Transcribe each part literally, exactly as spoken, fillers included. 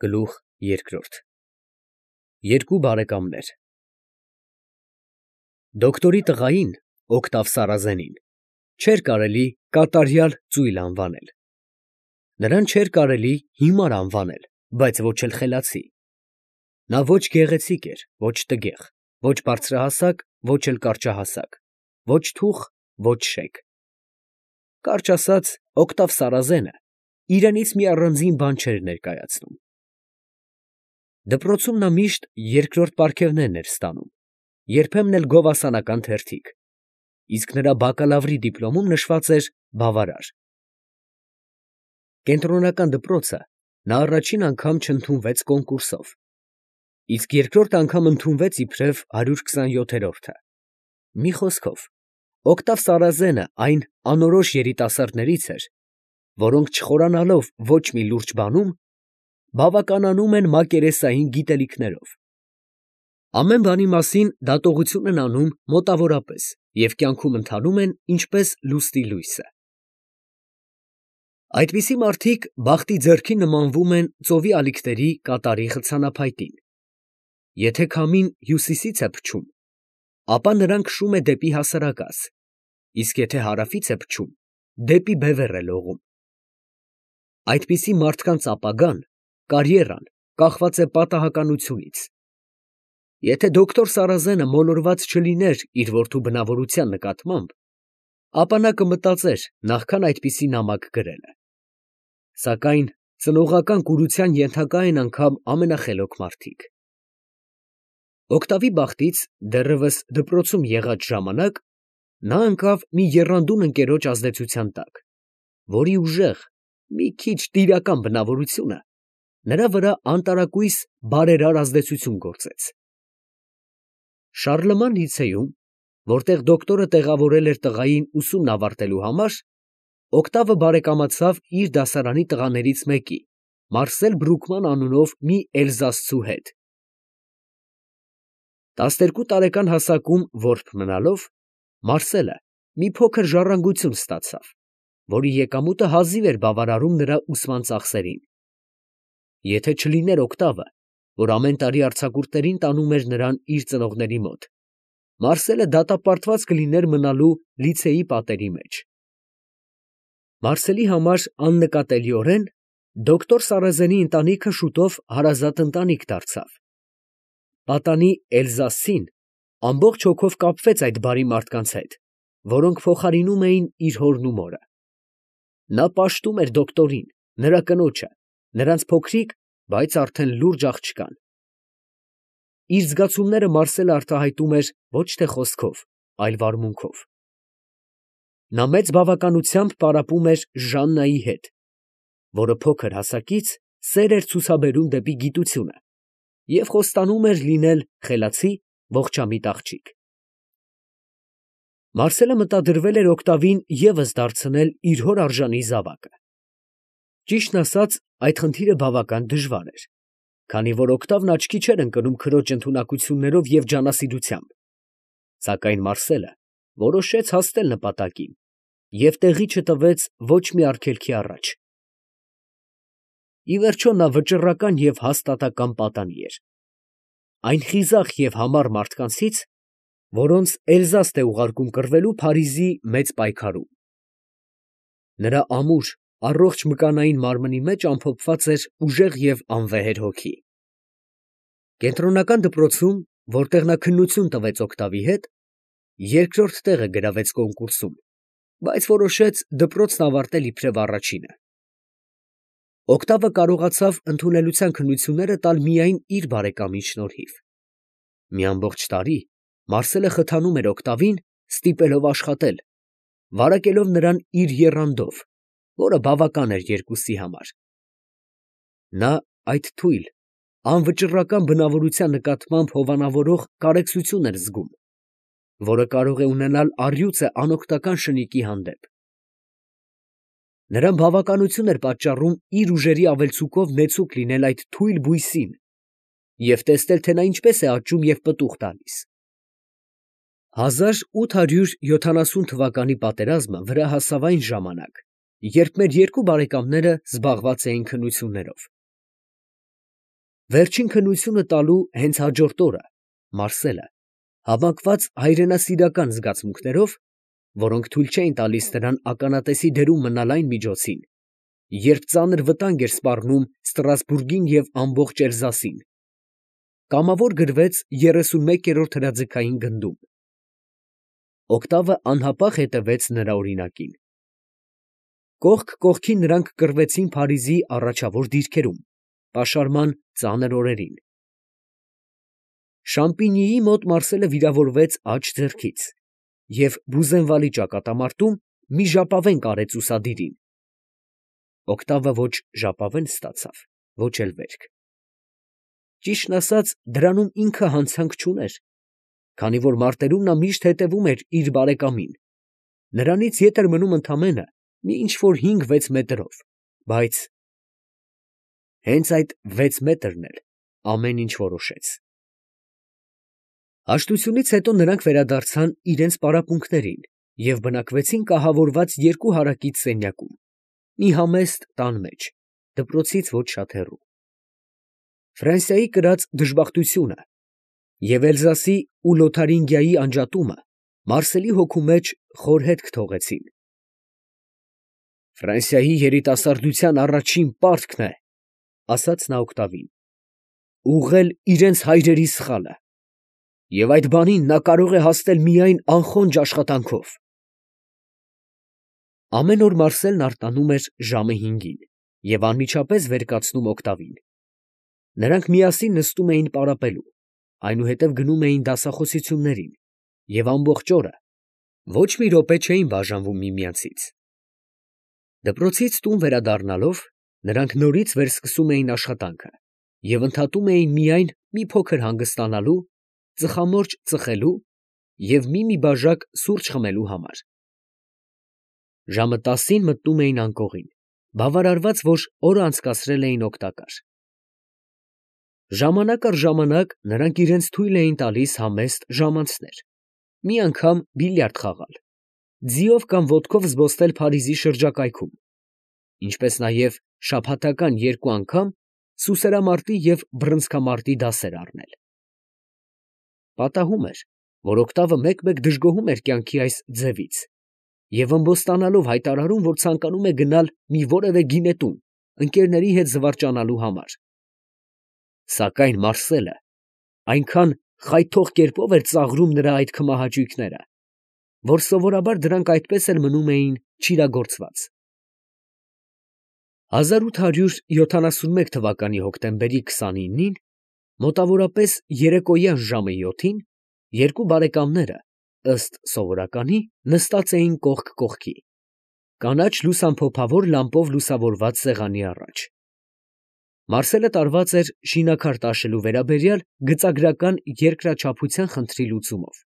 Գլուխ երկրորդ Երկու բարեկամներ Դոկտորի տղային, Օգտավ Սարազենին, չէր կարելի կատարյալ ծույլ անվանել. նրան չէր կարելի հիմար անվանել, բայց ոչ էլ խելացի. նա ոչ գեղեցիկ էր, ոչ տգեղ, ոչ բարձրահասակ, ոչ էլ կարճահասակ, ոչ թուխ, ոչ շեկ. կարճ ասած, Օգտավ Սարազենը իրենից մի առանձին բան չէր ներկայացնում. Դպրոցում նա միշտ երկրորդ պարգևներն էր ստանում, երբեմն էլ գովասանական թերթիկ, իսկ նրա բակալավրի դիպլոմում նշված էր բավարար. Կենտրոնական դպրոցը նա առաջին անգամ չընդունվեց կոնկուրսով, իսկ երկրորդ անգամ ընդունվեց իբրև հարյուր քսանյոթերորդը. մի խոսքով, Օգտավ Սարազենը այն անորոշ երիտասարդներից էր, որոնք չխորանալով ոչ մի լուրջ բանում, բավականանում են մակերեսային գիտելիքներով. ամեն բանի մասին դատողություն են անում մոտավորապես և կյանքում ընթանում են ինչպես լուսնի լույսը. այդպիսի մարդիկ բախտի ձեռքին նմանվում են ծովի ալիքների կատարի խցանափայտին. եթե քամին հյուսիսից է փչում, ապա նրան քշում է դեպի հասարակած, իսկ եթե հարավից է փչում, դեպի բևեռ է լողում. այդպիսի մարդկանց ապագան, կարիերան կախված է պատահականությունից. եթե դոկտոր Սարազենը մոլորված չլիներ իր որդու բնավորության նկատմամբ, ապա նա կմտածեր նախքան այդպիսի նամակ գրելը. սակայն ծնողական կուրության ենթակա են անգամ ամենախելոք մարդիկ. Օգտավի բախտից դեռևս դպրոցում եղած ժամանակ նա ընկավ մի եռանդուն ընկերոջ ազդեցության տակ, որի ուժեղ, մի քիչ տիրական բնավորությունը նրա վրա անտարակույս բարերար ազդեցություն գործեց. Շարլման լիցեում, որտեղ դոկտորը տեղավորել էր տղային ուսումն ավարտելու համար, Օգտավը բարեկամացավ իր դասարանի տղաներից մեկի, Մարսել Բրուկման անունով մի էլզասցու հետ. տասներկու տարեկան հասակում որբ մնալով, Մարսելը մի փոքր ժառանգություն ստացավ, որի եկամուտը հազիվ էր բավարարում նրա ուսման ծախսերին. եթե չլիներ Օգտավը, որ ամեն տարի արձակուրդներին տանում էր նրան իր ծնողների մոտ, Մարսելը դատապարտված կլիներ մնալու լիցեի պատերի մեջ. Մարսելի համար աննկատելիորեն դոկտոր Սարազենի ընտանիքը շուտով հարազատ ընտանիք դարձավ. պատանի Էլզասին ամբողջ հոգով կապվեց այդ բարի մարդկանց հետ, որոնք փոխարինում էին իր հորն ու մորը. նա պաշտում էր դոկտորին, նրա կնոջը, նրանց փոքրիկ, բայց արդեն լուրջ աղջկան. իր զգացումները Մարսելը արտահայտում էր ոչ թե խոսքով, այլ վարմունքով. նա մեծ բավականությամբ պարապում էր Ժաննայի հետ, որը փոքր հասակից սեր էր ցուցաբերում դեպի գիտությունը և խոստանում էր լինել խելացի, ողջամիտ աղջիկ. Մարսելը մտադրվել էր Օգտավին ևս դարձնել իր հոր արժանի զավակը. ճիշտն ասած, այդ խնդիրը բավական դժվար էր, քանի որ Օգտավն աչքի չէր ընկնում քրոջ ընդունակություններով և ջանասիրությամբ, սակայն Մարսելը որոշեց հասնել նպատակին և տեղի չտվեց ոչ մի արգելքի առաջ. ի վերջո նա վճռական և հաստատակամ պատանի էր, այն խիզախ և համառ մարդկանցից, որոնց Էլզաստ է ուղարկում կռվելու Փարիզի մեծ պայքարում. նրա ամուր, առողջ մկանային մարմնի մեջ ամփոփված էր ուժեղ և անվեհեր հոգի. Կենտրոնական դպրոցում, որտեղ նա քննություն տվեց Օգտավի հետ, երկրորդ տեղը գրավեց կոնկուրսում, բայց որոշեց դպրոցն ավարտել իբրև առաջինը. Օգտավը կարողացավ ընդունելության քննությունները տալ միայն իր բարեկամի շնորհիվ. մի ամբողջ տարի Մարսելը խթանում էր Օգտավին, ստիպելով աշխատել, վարակելով նրան իր եռանդով, որը բավական էր երկուսի համար. նա այդ թույլ, անվճռական բնավորության նկատմամբ հովանավորող կարեկցություն էր զգում, որը կարող է ունենալ առյուծը անօգնական շնիկի հանդեպ. նրան բավականություն էր պատճառում իր ուժերի ավելցուկով նեցուկ լինել այդ թույլ բույսին և տեսնել, թե նա ինչպես է աճում և պտուղ տալիս. հազար ութ հարյուր յոթանասուն թվականի պատերազմը վրա հասավ այն ժամանակ, երբ մեր երկու բարեկամները զբաղված էին քննություններով. Վերջին քննությունը տալու հենց հաջորդ օրը Մարսելը, հավաքված հայրենասիրական զգացմունքներով, որոնք թույլ չէին տալիս նրան ականատեսի դերում մնալ այն միջոցին, երբ ծանր վտանգ էր սպառնում Ստրասբուրգին և ամբողջ Էլզասին, կամավոր գրվեց երեսունմեկերորդ հրաձգային գնդում։ Օկտավը անհապաղ հետևեց նրա օրինակին։ Կողք կողքի նրանք կռվեցին Փարիզի առաջավոր դիրքերում, պաշարման ծանր օրերին։ Շամպինիի մոտ Մարսելը վիրավորվեց աջ ձեռքից և Բուզենվալի ճակատամարտում մի ժապավեն կարեց ուսադիրին։ Օկտավը ոչ ժապավեն ստացավ, ոչ էլ վերք։ Ճիշտն ասած, դրանում ինքը հանցանք չուներ, քանի որ մարտերում նա միշտ հետևում էր իր բարեկամին, նրանից ետ էր մնում ընդամենը մի ինչ֊որ հինգ֊վեց մետրով, բայց… հենց այդ վեց մետրն էլ ամեն ինչ որոշեց։ Հաշտությունից հետո նրանք վերադարձան իրենց պարապմունքներին և բնակվեցին կահավորված երկու հարակից սենյակում, մի համեստ տան մեջ, դպրոցից ոչ շատ հեռու։ Ֆրանսիայի կրած դժբախտությունը և Էլզասի ու Լոթարինգիայի անջատումը Մարսելի հոգու մեջ խոր հետք թողեցին։ «Ֆրանսիայի երիտասարդության առաջին պարտքն է, ֊ ասաց նա Օկտավին, ֊ ուղղել իրենց հայրերի սխալը, և այդ բանին նա կարող է հասնել միայն անխոնջ աշխատանքով»։ Ամեն օր Մարսելն արթնանում էր ժամը հինգին և անմիջապես վեր կացնում Օկտավին։ Նրանք միասին նստում էին պարապելու, այնուհետև գնում էին դասախոսություններին և ամբողջ օրը ոչ մի րոպե չէին բաժանվում միմյանցից։ Դպրոցից տուն վերադառնալով, նրանք նորից վերսկսում էին աշխատանքը և ընդհատում էին միայն մի փոքր հանգստանալու, ծխամորճ ծխելու և մի֊մի բաժակ սուրճ խմելու համար։ Ժամը տասին մտնում էին անկողին, բավարարված, որ օրը անցկացրել էին օգտակար։ Ժամանակ առ ժամանակ նրանք իրենց թույլ էին տալիս համեստ ժամանցներ, մի անգամ բիլիարդ խաղալ, ձիով կամ ոտքով զբոսնել Փարիզի շրջակայքում, ինչպես նաև շաբաթական երկու անգամ սուսերամարտի և բռնցքամարտի դասեր առնել։ Պատահում էր, որ Օկտավը մեկ֊մեկ դժգոհում էր կյանքի այս ձևից և ըմբոստանալով հայտարարում, որ ցանկանում է գնալ մի որևէ գինետուն ընկերների հետ զվարճանալու համար։ Սակայն Մարսելը այնքան խայթող կերպով էր ծաղրում նրա այդ քմահաճույքները, որ սովորաբար դրանք այդպես էլ մնում էին չիրագործված։ հազար ութ հարյուր յոթանասունմեկ թվականի հոկտեմբերի քսանինին, մոտավորապես երեկոյան ժամը յոթին, երկու բարեկամները, ըստ սովորականի, նստած էին կողք կողքի, կանաչ լուսամփոփավոր լամպով լուսավորված սեղանի առաջ։ Մարսելը տարված էր շինաքար տաշելու վերաբերյալ գծագրական երկրաչափության խնդրի լուծումով։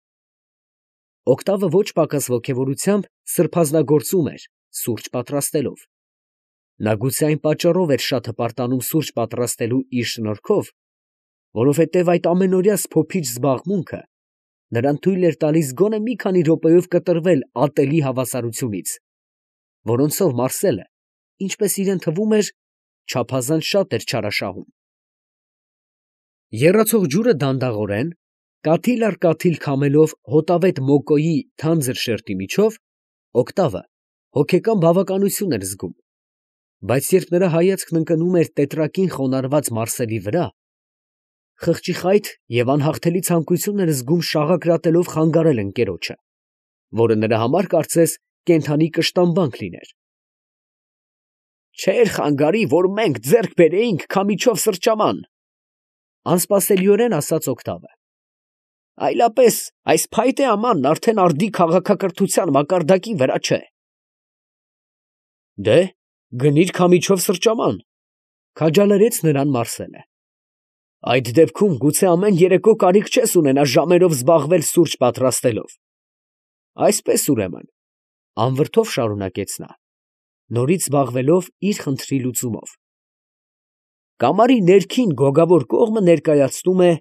Օկտավը ոչ պակաս ոգևորությամբ սրբազնագործում էր սուրճ պատրաստելով։ Նա գուցե այն պատճառով էր շատ հպարտանում սուրճ պատրաստելու իր շնորհքով, որովհետև այդ ամենօրյա սփոփիչ զբաղմունքը նրան թույլ էր տալիս գոնե մի քանի րոպեով կտրվել ատելի հավասարությունից, որոնցով Մարսելը, ինչպես իրան թվում էր, չափազանց շատ էր չարաշահում։ Եռացող ջուրը դանդաղորեն, կաթիլ առ կաթիլ քամելով հոտավետ մոկոյի թանձր շերտի միջով, Օկտավը հոգեկան բավականություն էր զգում, բայց երբ նրա հայացքն ընկնում էր տետրակին խոնարհված Մարսելի վրա, խղճիխայտ և անհաղթելի ցանկություն էր զգում շաղակրատելով խանգարել ընկերոջը, որը նրա համար կարծես կենդանի կշտամբանք լիներ։ «Չէր խանգարի, որ մենք ձեռք բերեինք Քամիչով սրճաման, ֊ անսպասելիորեն ասաց Օկտավը, ֊ այլապես այս փայտե ամանն արդեն արդի քաղաքակրթության մակարդակի վրա չէ»։ «Դե՛հ, գնիր Քամիչով սրճաման, ֊ քաջալերեց նրան Մարսելը, ֊ այդ դեպքում գուցե ամեն երեկո կարիք չես ունենա ժամերով զբաղվել սուրճ պատրաստելով։ Այսպես, ուրեմն, ֊ անվրդով շարունակեց նա, նորից զբաղվելով իր խնդրի լուծումով, ֊ կամարի ներքին գոգավոր կողմը ներկայացնում է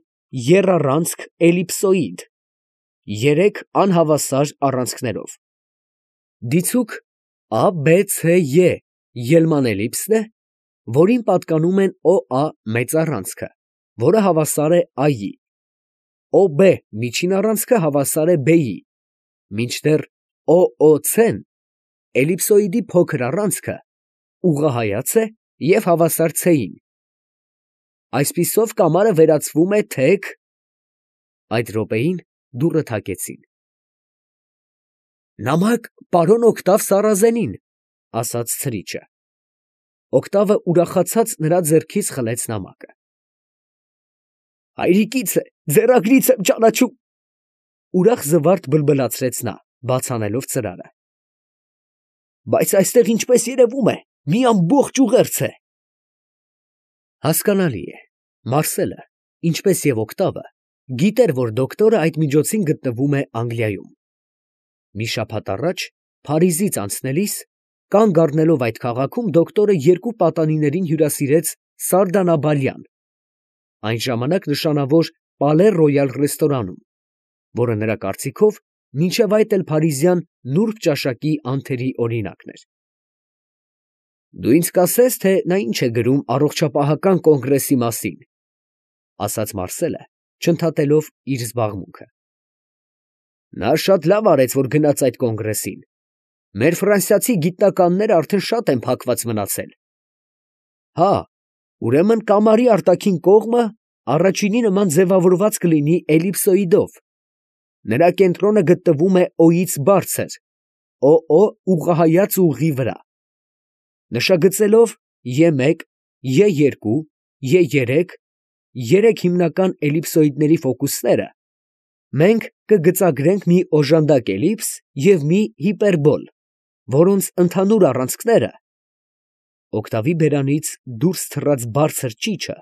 եռառանցք էլիպսոիդ, երեք անհավասար առանցքներով. դիցուք ա բե ցե ե ելման էլիպսն է, որին պատկանում են օ ա մեծ առանցքը, որը հավասար է ա-ի, օ բե միջին առանցքը հավասար է բեի, մինչդեռ օ օ ցեն էլիպսոիդի փոքր առանցքը ուղղահայաց է և հավասար ցեին։ Այսպիսով կամարը վերածվում է թեք… Այդ րոպեին դուռը թակեցին։ «Նամակ պարոն Օգտավ Սարազենին», ֊ ասաց ցրիչը։ Օգտավը ուրախացած նրա ձեռքից խլեց նամակը։ «Հայրիկից է, ձեռագրից եմ ճանաչում», ֊ ուրախ զվարթ բլբլացրեց նա, բաց անելով ծրարը։ «Բայց այստեղ, ինչպես երևում է, մի ամբողջ ուղերձ է»։ Հասկանալի է, Մարսելը, ինչպես և Օգտավը, գիտեր, որ դոկտորը այդ միջոցին գտնվում է Անգլիայում։ Մի շաբաթ առաջ, Փարիզից անցնելիս, կանգ առնելով այդ քաղաքում, դոկտորը երկու պատանիներին հյուրասիրեց Սարդանաբալյան, այն ժամանակ նշանավոր Պալե Ռոյալ ռեստորանում, որը նրա կարծիքով մինչև այդ էլ փարիզյան նուրբ ճաշակի անթերի օրինակն էր։ «Դու ինձ կասես, թե նա ինչ է գրում առողջապահական կոնգրեսի մասին», ֊ ասաց Մարսելը, չընդհատելով իր զբաղմունքը։ «Նա շատ լավ արեց, որ գնաց այդ կոնգրեսին. մեր ֆրանսիացի գիտնականները արդեն շատ են փակված մնացել։ Հա, ուրեմն կամարի արտաքին կողմը առաջինի նման ձևավորված կլինի էլիպսոիդով, նրա կենտրոնը գտնվում է օ֊ից բարձր, օ օ ուղղահայաց ուղղի վրա։ Նշագծելով է մեկ, է երկու, է երեք, երեք հիմնական էլիպսոիդների ֆոկուսները, մենք կգծագրենք մի օժանդակ էլիպս և մի հիպերբոլ, որոնց ընդհանուր առանցքները… Օգտավի բերանից դուրս թռած բարձր ճիչը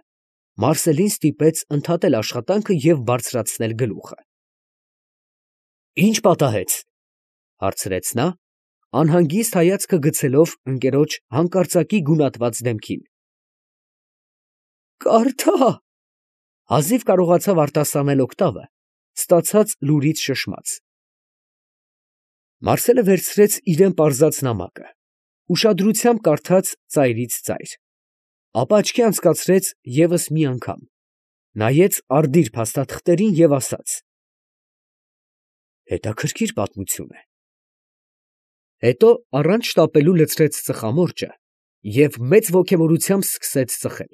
Մարսելին ստիպեց ընդհատել աշխատանքը և բարձրացնել գլուխը։ «Ի՞նչ պատահեց, ֊ հարցրեց նա, անհանգիստ հայացքը գցելով ընկերոջ հանկարծակի գունատված դեմքին։ ֊ Կարդա… ֊ հազիվ կարողացավ արտասանել Օգտավը, ստացած լուրից շշմած։ Մարսելը վերցրեց իրան պարզած նամակը, ուշադրությամբ կարդաց ծայրից ծայր, ապա աչքի անցկացրեց ևս մի անգամ, նայեց արդիր փաստաթղթերին և ասաց. «Հետաքրքիր պատմություն է»։ Հետո առանց շտապելու լցրեց ծխամորճը և մեծ ոգևորությամբ սկսեց ծխել։